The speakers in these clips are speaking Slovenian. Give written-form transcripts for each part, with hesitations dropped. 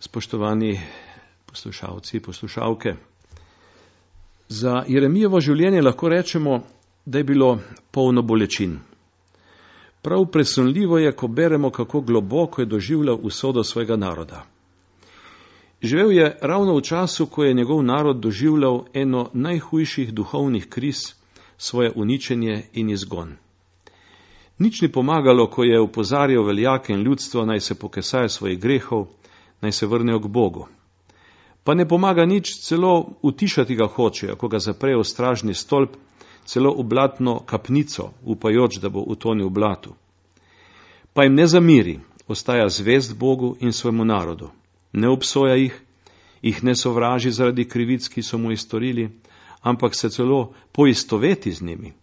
Spoštovani poslušalci, poslušalke, za Jeremijevo življenje lahko rečemo, da je bilo polno bolečin. Prav presunljivo je, ko beremo, kako globoko je doživljal usodo svojega naroda. Živel je ravno v času, ko je njegov narod doživljal eno najhujših duhovnih kriz, svoje uničenje in izgon. Nič ni pomagalo, ko je opozarjal veljake in ljudstvo, naj se pokesajo svojih grehov, naj se vrnejo k Bogu. Pa ne pomaga nič, celo utišati ga hočejo, ko ga zaprejo v stražni stolp, celo v blatno kapnico, upajoč, da bo utonil v blatu. Pa jim ne zamiri, ostaja zvest Bogu in svojemu narodu. Ne obsoja jih ne sovraži zaradi krivic, ki so mu jih storili, ampak se celo poistoveti z njimi.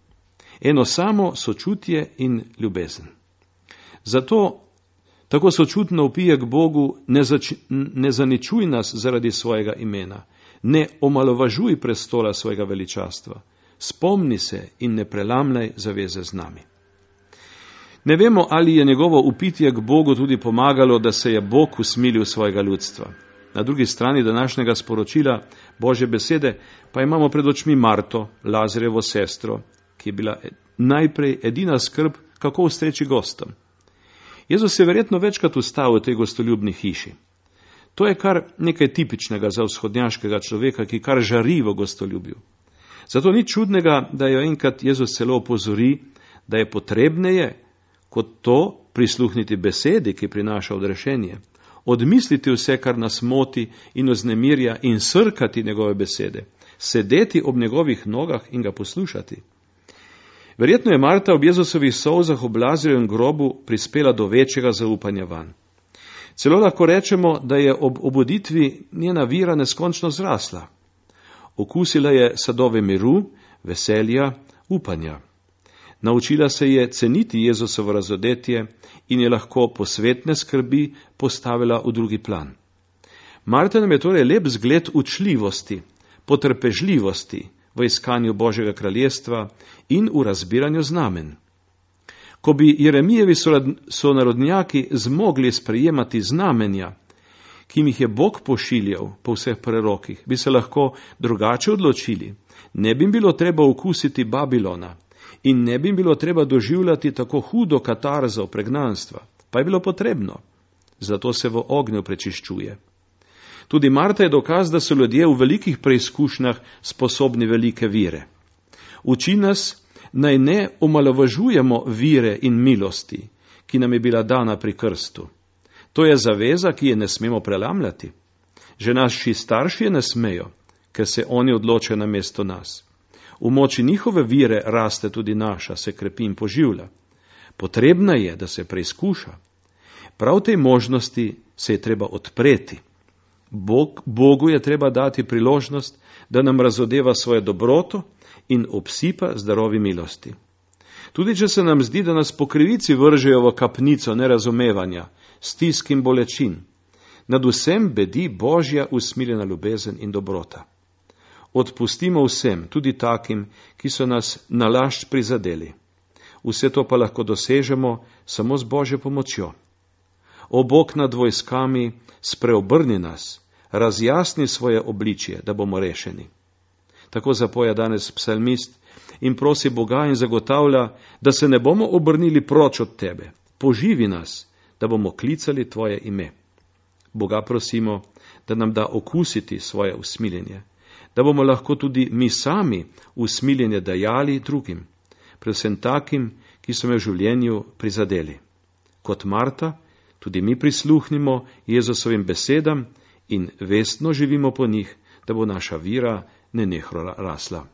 Eno samo sočutje in ljubezen. Zato tako sočutno vpije k Bogu, ne zaničuj nas zaradi svojega imena, ne omalovažuj prestola svojega veličastva, spomni se in ne prelamljaj zaveze z nami. Ne vemo, ali je njegovo vpitje k Bogu tudi pomagalo, da se je Bog usmilil svojega ljudstva. Na drugi strani današnjega sporočila Božje besede pa imamo pred očmi Marto, Lazarjevo sestro, ki je bila najprej edina skrb, kako ustreči gostom. Jezus je verjetno večkrat ustavil v tej gostoljubni hiši. To je kar nekaj tipičnega za vzhodnjaškega človeka, ki kar žari v gostoljubju. Zato ni čudnega, da jo enkrat Jezus celo opozori, da je potrebneje kot to prisluhniti besedi, ki prinaša odrešenje, odmisliti vse, kar nas moti in oznemirja, in srkati njegove besede, sedeti ob njegovih nogah in ga poslušati. Verjetno je Marta ob Jezusovih solzah ob Lazarjevem grobu prispela do večjega zaupanja vanj. Celo lahko rečemo, da je ob obuditvi njena vera neskončno zrasla. Okusila je sadove miru, veselja, upanja. Naučila se je ceniti Jezusovo razodetje in je lahko posvetne skrbi postavila v drugi plan. Marta nam je torej lep zgled učljivosti, potrpežljivosti v iskanju Božjega kraljestva in v razbiranju znamen. Ko bi Jeremijevi sonarodnjaki zmogli sprejemati znamenja, ki jih je Bog pošiljal po vseh prerokih, bi se lahko drugače odločili. Ne bi bilo treba okusiti Babilona in ne bi bilo treba doživljati tako hudo katarzo pregnanstva, pa je bilo potrebno. Zato se v ognju prečiščuje. Tudi Marta je dokaz, da so ljudje v velikih preizkušnjah sposobni velike vire. Uči nas, naj ne omalovažujemo vire in milosti, ki nam je bila dana pri krstu. To je zaveza, ki je ne smemo prelamljati. Že naši starši je ne smejo, ker se oni odločajo namesto nas. V moči njihove vire raste tudi naša, se krepi in poživlja. Potrebna je, da se preizkuša. Prav tej možnosti se je treba odpreti. Bogu je treba dati priložnost, da nam razodeva svojo dobroto in obsipa z darovi milosti. Tudi če se nam zdi, da nas po krivici vržejo v kapnico nerazumevanja, stisk in bolečin, nad vsem bedi Božja usmiljena ljubezen in dobrota. Odpustimo vsem, tudi takim, ki so nas nalašč prizadeli. Vse to pa lahko dosežemo samo z Božjo pomočjo. O Bog nad vojskami, spreobrni nas, razjasni svoje obličje, da bomo rešeni. Tako zapoja danes psalmist in prosi Boga in zagotavlja, da se ne bomo obrnili proč od tebe. Poživi nas, da bomo klicali tvoje ime. Boga prosimo, da nam da okusiti svoje usmiljenje, da bomo lahko tudi mi sami usmiljenje dajali drugim, predvsem takim, ki so me v življenju prizadeli. Kot Marta, tudi mi prisluhnimo Jezusovim besedam in vestno živimo po njih, da bo naša vera nenehno rasla.